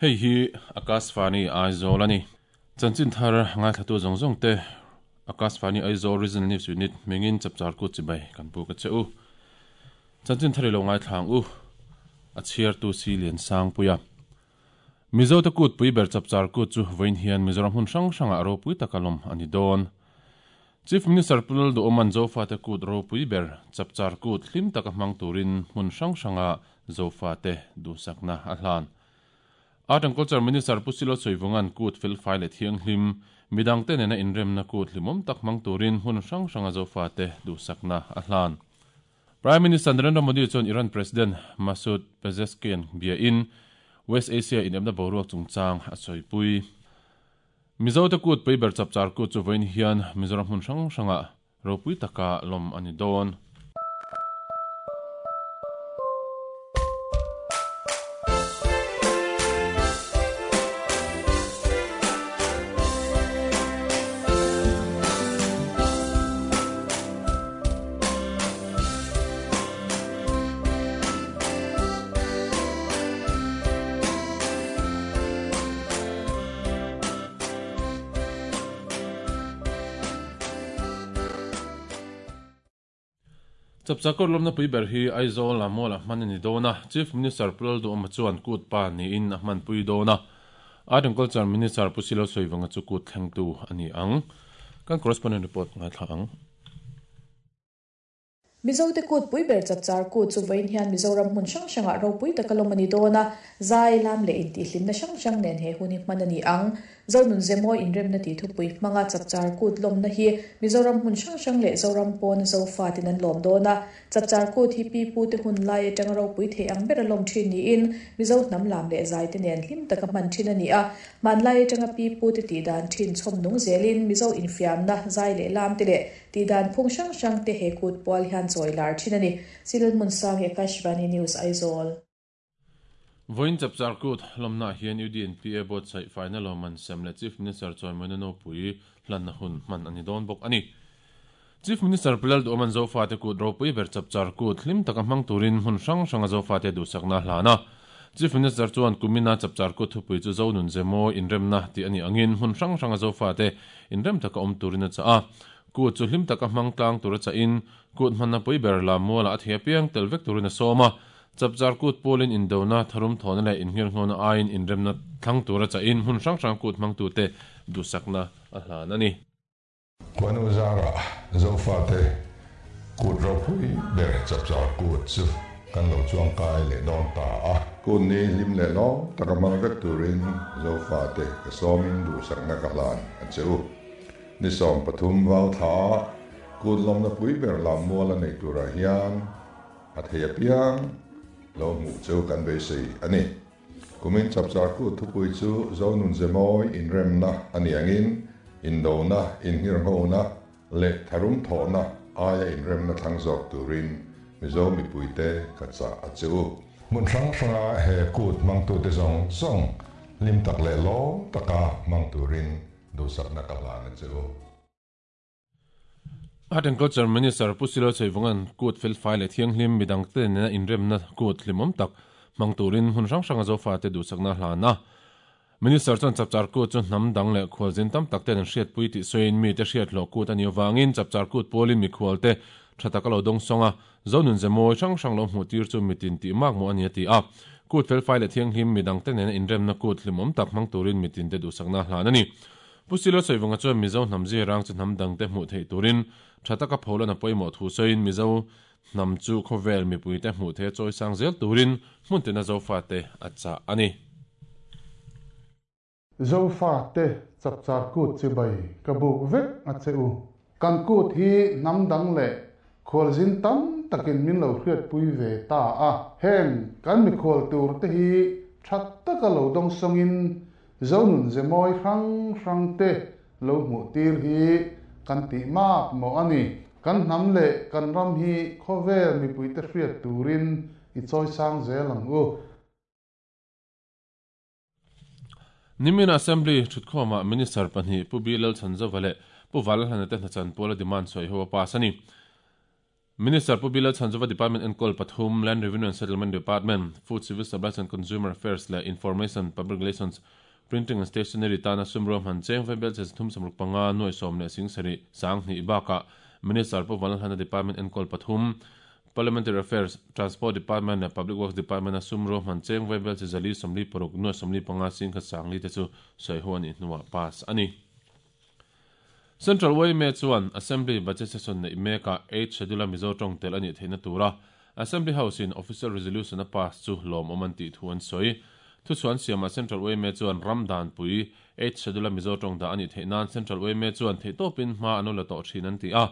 Hei hi Akashvani Aizawl a ni. Chanchin thar ngaithlatu zawng zawng te Akashvani Aizawl Regional News Unit hmingin chapchar kut chibai kan buk a che u. Chanchin thar i lo ngaithla ang u. A chhiartu si Lian Sangpuia. Mizo te kut pui ber chapchar kut chu vawiin hian Mizoram hmun hrang hrangah ropui taka lawm a ni dawn. Chief Minister Pu Lalduhawma'n Zofate kut ropui ber chapchar kut hlim taka hmang turin hmun hrang hranga Zofate duhsakna a hlan. Art and Culture Minister Pu Silo Chawivunga'n kut felfai leh thianghlim, midangte nena inremna kut hlimawm tak hmang turin hmun hrang hranga Zofate duhsakna a hlan. Prime Minister Narendra Modi chuan Iran President Masoud Pezeshkian biain West Asia inepna boruak chungchang a sawipui. Mizote kut pui ber chapchar kut chu vawiin hian Mizoram hmun hrang hrangah ropui taka lawm a ni dawn. Chapchakawr lawmna pui ber hi Aizawl-a Mall-a hman a ni dawn a, Chief Minister Pu Lalduhawma chuan kut pa niin a hmanpui dawn a. Art and Culture Minister Pu Silo Sawivanga chu kut thlengtu a ni ang. Kan correspondent report ngaithla ang. Mizote kut pui ber chapchar kut chu vawiin hian Mizoram hmun hrang hrangah ropui taka lawm a ni dawn a, zai, lam leh intihhlimna hrang hrang nen he hun hi hman a ni ang. Zonun Zemawi inremna tih thupui hmanga chapchar kut lawmna hi Mizoram hmun hrang hrang leh Zoram pawna Zofatin an lawm dawn a, Chapchar kut hi pi pute hun lai atanga ropui thei ang bera lawm thin niin Mizo hnam lam leh zai te nen hlim taka hman thin a ni a. Hmanlai atanga pi pute tih dan thin chhawm nung zelin Mizo infiamna, zai leh lam te leh tih dan phung hrang hrang te he kut pual hian chawi lar thin a ni. Silal Hmunsangi, Akashvani News, Aizawl. Vawiin Chapchar Kut lawmnaah hian UDNPA buatsaih faina lawmman sem leh Chief Minister chawimawina nopui hlanna hun hman a ni dawn bawk a ni. Chief Minister Pu Lalduhawma'n Zofate Kut ropui ber Chapchar Kut hlim taka hmang turin hmun hrang hranga Zofate duhsakna a hlan a. Chief Minister chuan kumina Chapchar Kut thupui chu Zonun Zemawi inremna tih a nih angin hmun hrang hranga Zofate inrem taka awm turin a chah a. Kut chu hlim taka hmang tlang tura chahin Kut hmanna pui ber Lammualah a thei apiang tel vek turin a sawm a. Chapchar kut pawlin indona, tharum thawhna leh innghirnghawna aiin inremna thlang tura chahin hmun hrang hrang kut hmangtute duhsakna a hlan a ni. Khuanu zarah Zofate kut ropui ber Chapchar kut chu kan lo chuangkai leh dawn ta a. Kut ni hlim leh lawm taka hmang vek turin Zofate ka sawmin duhsakna ka hlan a che u. Ni 13 vau thla a kut lawmna pui ber lam mual a nei turah hian A thei apiang lo hmuh chu kan beisei a ni. Kumin chapchar kut thupui chu Zonun Zemawi inremna a ni angin indona, inngirnghona leh tharum thawhna aia inremna thlang zawk turin Mizo mipuite ka chah a che u. Hmun hrang hranga he kut hmangtute zawng zawng hlim tak leh lawm taka hmang turin duhsakna ka hlan a che u. Art and Culture Minister Pu Silo Cheivunga'n kut felfai leh thianghlim midangte nena inremna kut hlimawm tak hmang turin hmun hrang hranga Zofate duhsakna a hlan a. Minister chuan Chapchar Kut chu hnam dang leh khualzin tam tak ten an hriatpui tih sawiin mite hriathlawh kut a nih avangin Chapchar Kut pualin mikhualte tha taka lo dawng sawng a, Zonun ze mawi hrang hrang lo hmuh tir chu mitin tih mak maw a ni a ti a. Kut felfai leh thianghlim midangte nena inremna kut hlimawm tak hmang turin mitinte duhsakna a hlan a ni. Pu Silo Sawivunga chuan Mizo hnam zirang chu hnam dangte hmuh theih turin tha taka pholan a pawimawh thu sawiin Mizo hnam chu khawvel mipuite hmuh theih a chawisang zel turin hmun tina Zofate a chah a ni. Zofate chapchar kut chibai ka buk vek a che u. Kan kut hi hnam dang leh khualzin tam takin min lo hriatpui ve ta a. Heng kan mikhual tur te hi tha taka lo dawngsawngin Zonun ze mawi hrang hrang te lo hmuh tir hi kan tih mak maw a ni. Kan hnam leh kan ram hi khawvel mipuite hriat turin i chawisang zel ang u. Nimin Assembly thutkhawmah Minister pahnih Pu Bilal Chhanzova leh Pu Valhlana te hnachan puala demand sawi ho a pass a ni. Minister Pu Bila Chhanzova Department enkawl pathum, Land Revenue and Settlement Department, Food Civil Supplies and Consumer Affairs leh Information, Public Relations, Printing and Stationery tana sum ruahman cheng vaibel che 365 nuai sawm leh sing sarih 2000 bakah Minister Pu Vanlalhana Department enkawl pathum, Parliamentary Affairs, Transport Department leh Public Works Department a sum ruahman cheng vaibel che 446 nuai 45 sing khat 40 te chu sawi ho a nih hnuah pass a ni. Central yma chuan Assembly Budget Session neih mekah Eighth Schedule-a Mizo tawng tel a nih theihna tura Assembly House-in Official Resolution a pass chu lawmawm an tih thu an sawi. Thuchhuah an siamah Central yma chuan ram danpui Eighth Schedule-a Mizo tawng dah a nih theih nan Central yma chuan theihtawpin hma an lo la tawh thin an ti a.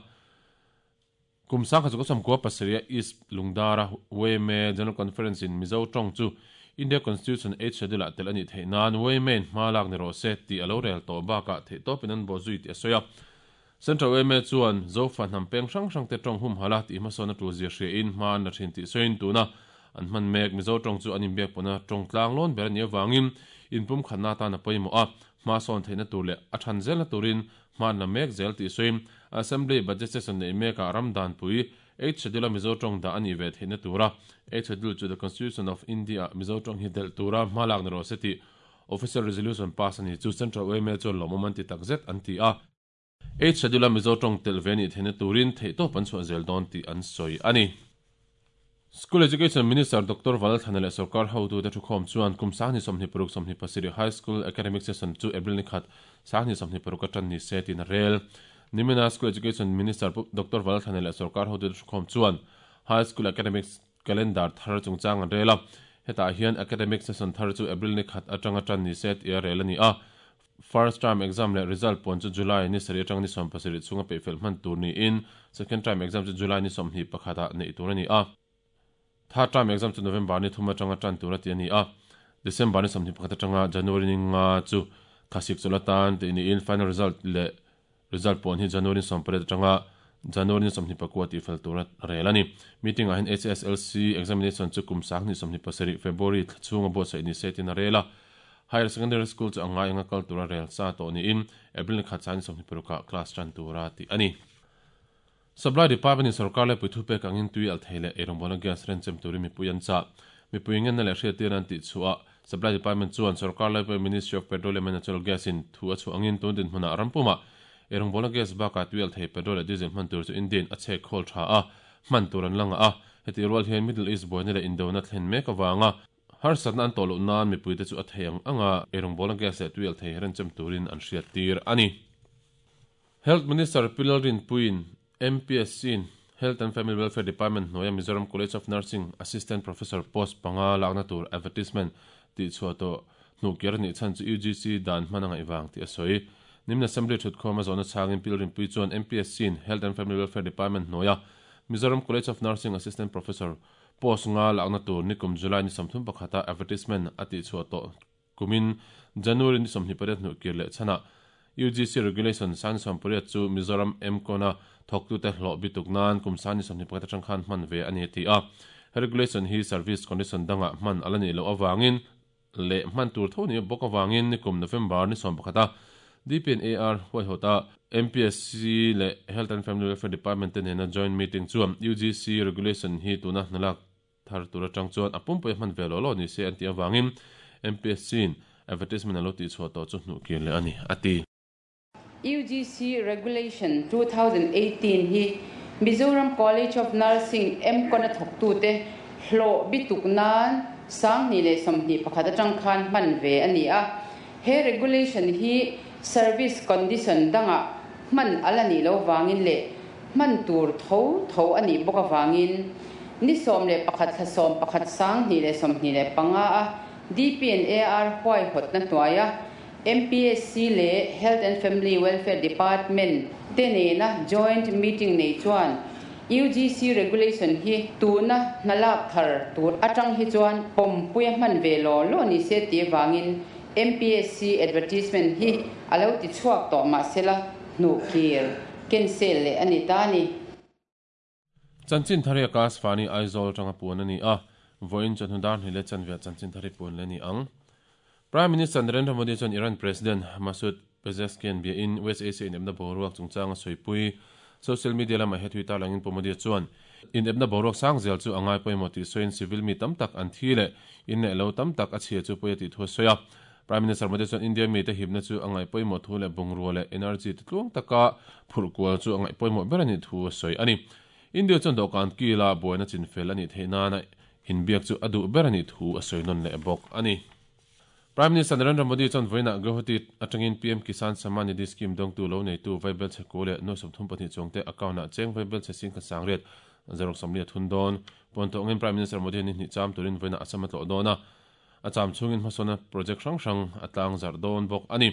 Kum 1997 a East Lungdara yma General Conference in Mizo tawng chu India Constitution Eighth Schedule ah tel a nih theih nan yma in hma lak ni rawh se tih a lo rel tawh bakah theihtawpin an bawh zui tih a sawi a. Central yma chuan Zofa hnam peng hrang hrang te tawng humhalh a tih hmasawn a tul zia hria in hma an la thin tih sawiin tuna an hman mek Mizo tawng chu an inbiak pawhna tawng tlang lawn ber a nih avangin inpumkhatna atan a pawimawh a, hma sawn theihna tur leh a than zelna turin Hma an la mek zel tih sawiin Assembly Budget Session neih mekah ram danpui Eighth Schedule-a Mizo tawng dah a nih ve theihna tura Eighth Schedule chu The Constitution of India-ah Mizo tawng hi delh tura hma lak ni rawh se tih Official Resolution pass a ni chu Central yma chuan lawmawm an ti takzet an ti a. Eighth Schedule-a Mizo tawng telh ve nih theihna turin theihtawp an chhuah zel dawn tih an sawi a ni. School Education Minister Doctor Valthana leh sorkar hotute thukhawm chuan kum 2026 27 High School Academic Session chu April ni khat 2026 a tan ni se tiin a rel. Nimina School Education Minister Pu Doctor Valthana leh sorkar hotute thukhawm chuan High School Academic Calendar thar chungchang an rel a. Hetah hian Academic Session thar chu April ni khat atanga tan ni se tih a rel a ni a. First term exam leh result puan chu July ni sarih atanga ni 17 chhunga peihfelh hman tur niin second term exam chu July ni 21 ah neih tur a ni a. Third term exam chu November ni thum atanga tan tur a ti a ni a. December ni 21 atanga January ni nga chu thlasik chawlh atan tih niin final result leh result puan hi January ni 18 atanga January ni 24 tihfel tur a rel a ni. Meeting ah hian HSLC examination chu kum 2027 February thla chhunga buatsaih ni se tiin a rel a. Higher Secondary School chu a ngai anga kal tura rel sa tawh niin April ni khat sang ni 26 ah class tan tura tih a ni. Supply Department in sorkar laipui thupek angin tui alh thei leh eirawngbawlna gas renchem turin mipui an chah. Mipui ngenna leh hriattirna an tih chhuah Supply Department chuan sorkar laipui Ministry of Petroleum and Natural Gas in thu a chhuah angin tun dinhmunah ram pumah eirawngbawlna gas bakah tui alh thei petrol leh diesel hman tur chu Indian a chhek khawl tha a, hman tur an la ngah a. Hetih rual hian Middle East buaina leh indona thlen mek avanga Harsatna an tawh loh nan mipuite chu a thei ang anga eirawngbawlna gas leh tui alh thei renchem turin an hriattir a ni. Health Minister Pi Lalrinpuiin MPSC-in Health and Family Welfare Department hnuaia Mizoram College of Nursing Assistant Professor post panga lakna tur advertisement tihchhuah tawh hnuhkir a nih chhan chu UGC dan hman a ngaih vang tih a sawi. Nimin Assembly thutkhawm a zawhna chhangin Pi Lalrinpuii chuan MPSC-in Health and Family Welfare Department hnuaia Mizoram College of Nursing Assistant Professor Post nga lakna tur nikum July ni 31 a advertisement a tihchhuah tawh kumin January ni 28 hnuh kir leh chhanah UGC Regulation 2018 chu Mizoram MCON-a thawktute hlawh bituk nan kum 2021 atang khan hman ve a ni a ti a. He regulation hi service condition dangah hman a la nih loh avangin leh hman tur tho ni bawk avangin nikum November ni 11 a DPNAR huaihawta MPSC leh Health and Family Welfare Department te nena joint meeting chuan UGC regulation hi tuna hnalak thar tur atang chuan a pumpui a hman ve law law ni se an tih avangin MPSC in advertisement a lo tihchhuah tawh chu hnuh kir leh a ni, a ti. UGC Regulation 2018 hi Mizoram College of Nursing MCON a thawktute hlawh bituk nan 2021 atang khan hman ve a ni a. He regulation hi service condition dangah hman a la nih loh vangin leh hman tur tho tho a nih bawk avangin ni 11 thla 11 2025 a DPNAR huaihawtna hnuaia MPSC leh Health and Family Welfare Department te nena joint meeting nei chuan UGC regulation hi tuna hnalak thar tur atang hi chuan pawmpui a hman ve law law ni se tih avangin MPSC advertisement hi a lo ti chhuak tawh mahsela hnuh kir cancel leh a ni ta a ni. Chanchin thar hi Akashvani Aizawl atanga puan a ni a, vawiin chawhnu dar hnih leh chanve chanchin thar hi puan leh a ni ang. Prime Minister Narendra Modi chuan Iran President Masoud Pezeshkian biain West Asia inepna boruak chungchanga sawipui. Social media lamah he thui tarlangin Pu Modi chuan inepna boruak sang zel chu a ngai pawimawh tih sawiin civil mi tam tak an thi leh in leh lo tam tak a chhia chu pawi a tih thu a sawi a. Prime Minister Modi chuan India mite hipna chu a ngaih pawimawh thu leh bungrua leh energy te tluang taka phurh kual chu a ngaih pawimawh ber a nih thu a sawi a ni. India chuan dawhkan kila buaina chinfel a nih theih nana inbiak chu a duh ber a nih thu a sawi nawn leh bawk a ni. Prime Minister Narendra Modi chuan vawiinah Guwahati atangin PM Kisan Samman Nidhi Scheme dawngtu lo neitu Vaibel Chheku leh 32 chuangte account-ah cheng Vaibel Chhe Singkhat Sangriat zaruk 40 a thun dawn. Puan tawngin Prime Minister Modi hian ni hnih cham turin vawiinah Assam a tlawh dawn a, a cham chhungin hmasawnna project hrang hrang a tlang zarh dawn bawk a ni.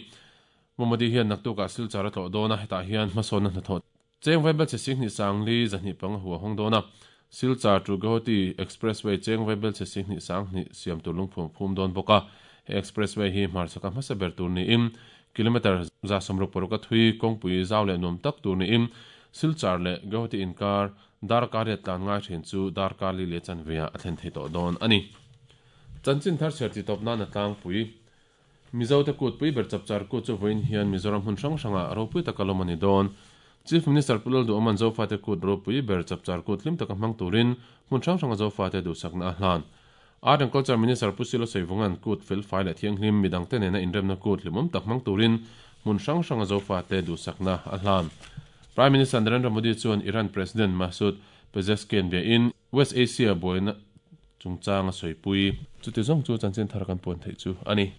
Pu Modi hian naktukah Silchar a tlawh dawn a, hetah hian hmasawnna hnathawh Cheng Vaibel chhe 25 400 2 panga hu a hawng dawn a, Silchar to Guwahati Expressway Cheng Vaibel chhe 2 2 siam tur lungphum a phum dawn bawk a. He expressway hi hmarchhaka hmasa ber tur niin kilometre 66 a thui kawngpui zau leh nuam tak tur niin Silchar leh Guwahati inkar darkar riat tlan ngai thin chu darkar li leh chanveah a thlen thei tawh dawn a ni. Chanchin thar chhiar titawp nan a tlangpui. Mizote kutpui ber Chapchar Kut chu vawiin hian Mizoram hmun hrang hrangah ropui taka lawm a ni dawn. Chief Minister Pu Lalduhawma'n Zofate kut ropui ber Chapchar Kut hlim taka hmang turin hmun hrang hranga Zofate duhsakna a hlan. Art and Culture Minister Pu Silo Saivunga'n kut felfai leh thianghlim midangte nena inremna kut hlimawm tak hmang turin hmun hrang hranga Zofate duhsakna a hlan. Prime Minister Narendra Modi chuan Iran President Masoud Pezeshkian biain West Asia buaina chungchang a sawipui. Chuti zawng chu chanchin thar kan puan theih chu a ni.